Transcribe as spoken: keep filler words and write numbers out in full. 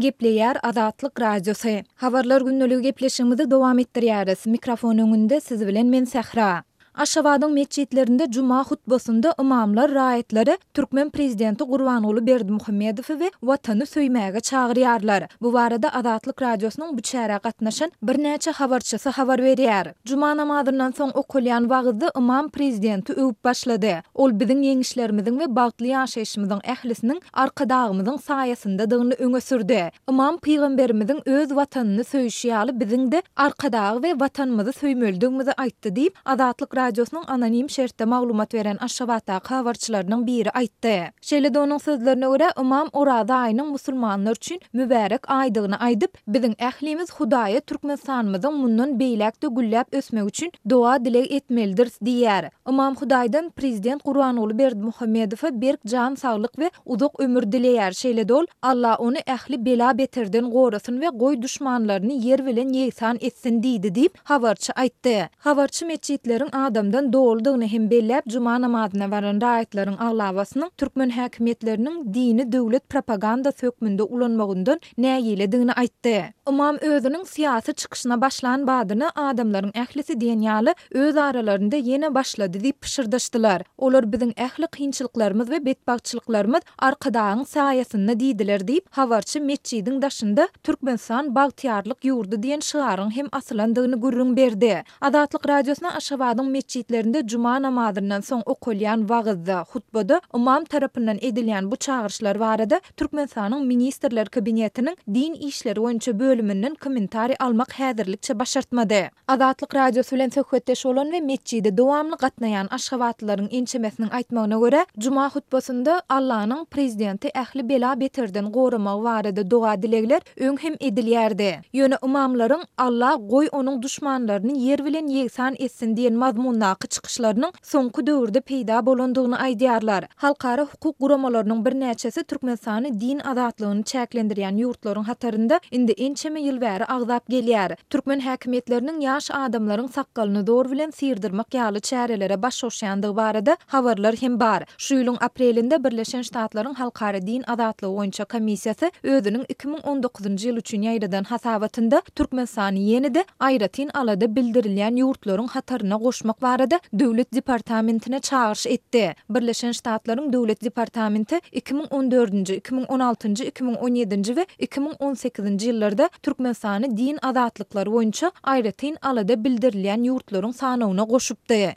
Gepleýär Azatlyk Radiosy. Habarlar gündeligi gepleşigimizi dowam etdirýäris. Mikrofon öňünde siz bilen men Sähra. Aşgabadyň metjitlerinde juma hutbasynda ymamlar raýatlary türkmen prezidenti Gurbanguly Berdimuhamedowy we Watany söýmäge çagyrýarlar. Bu barada Azatlyk Radiosynyň bu çärä gatnaşan birnäçe habarçysy habar berýär. Juma namazyndan soň okalýan wagyzda ymam prezidenti öwüp başlady. Ol biziň ýeňişlerimiziň we bagtly ýaşaýşymyzyň ählisiniň Arkadagymyzyň saýasyndadygyny öňe sürdi. Ymam pygamberimiziň öz Watanyny söýşi ýaly biziň-de Arkadagy we Watanymyzy söýmelidigimizi aýtdy diýip, Azatlyk Radiosynyň anonim şertde maglumat beren Aşgabatdaky habarçylarynyň biri aýtdy. Şeýle-de onuň sözlerine görä, ymam Oraza aýynyň musulmanlar üçin mübärek aýdygyny aýdyp, Biziň ählimiz Hudaýa Türkmenistanymyzyň mundan beýläk-de gülläp ösmegi üçin doga-dileg etmelidiris diýýär. Ymam Hudaýdan prezident Gurbanguly Berdimuhamedowa berk jan saglyk we uzak ömür dileýär. Şeýle-de ol, Alla ony ähli bela-beterden gorasyn we goý duşmanlaryny ýer bilen ýegsan etsin diýdi diýip, habarçy aýtdy. Habarçy metjitleriň adamdan doludygyny hem belläp, juma namazyna baran raýatlaryň aglabasynyň türkmen häkimiýetleriniň dini döwlet propagandasy hökmünde ulanmagyndan nägiledigini aýtdy. Ymam özüniň syýasy çykyşyna başlan badyna adamlaryň ählisi diýen ýaly öz aralarynda ýene başlady diýip pyşyrdaşdylar. Olar biziň ähli kynçylyklarymyz we betbagtçylyklarymyz Arkadagyň saýasynda diýdiler diýip, habarçy metjidiň daşynda Türkmenistan bagtyýarlyk ýurdy diýen şygaryň hem asylandygyny gürrüň berdi. Azatlyk Radiosyna Aşgabadyň metjitlerinde juma namazyndan soň okalýan wagyzda, hutbada ymam tarapyndan edilýän bu çagyryşlar barada Türkmenistanyň Ministrler Kabinetiniň Din işleri boýunça bölüminden kommentariý almak häzirlikçe başartmady. Azatlyk Radiosy bilen söhbetdeş bolan we metjide dowamly gatnaýan aşgabatlylaryň ençemesiniň aýtmagyna görä, juma hutbasynda Allanyň prezidenti ähli bela-beterden goramagy barada doga-dilegler öň hem edilýärdi. Ýöne ymamlaryň Alla goý onuň duşmanlaryny ýer bilen ýegsan etsin diýen mazmundaky çykyşlarynyň soňky döwürde peýda bolandygyny aýdýarlar. Halkara hukuk guramalarynyň birnäçesi Türkmenistany din azatlygyny çäklendirýän ýurtlaryň hatarynda indi ençeme ýyl bäri agzap gelýär. Türkmen häkimiýetleriniň ýaş adamlaryň sakgalyny zor bilen syrdyrmak ýaly çärelere baş goşýandygy barada habarlar hem bar. Şu ýylyň aprelinde Birleşen Ştatlaryň Halkara din azatlygy boýunça komissiýasy özüniň iki müň on dokuzynjy ýyl üçin ýaýradan hasabatynda Türkmenistany ýene-de aýratyn alada bildirilýän ýurtlaryň hataryna goşmak barada Döwlet departamentine çagyryş etdi. Birleşen Ştatlaryň Döwlet departamenti iki müň on dördünji, iki müň on altynjy, iki müň on ýedinji we iki müň on sekizinji ýyllarda Türkmenistany din azatlyklary boýunça aýratyn alada bildirilýän ýurtlaryň sanawyna goşupdy.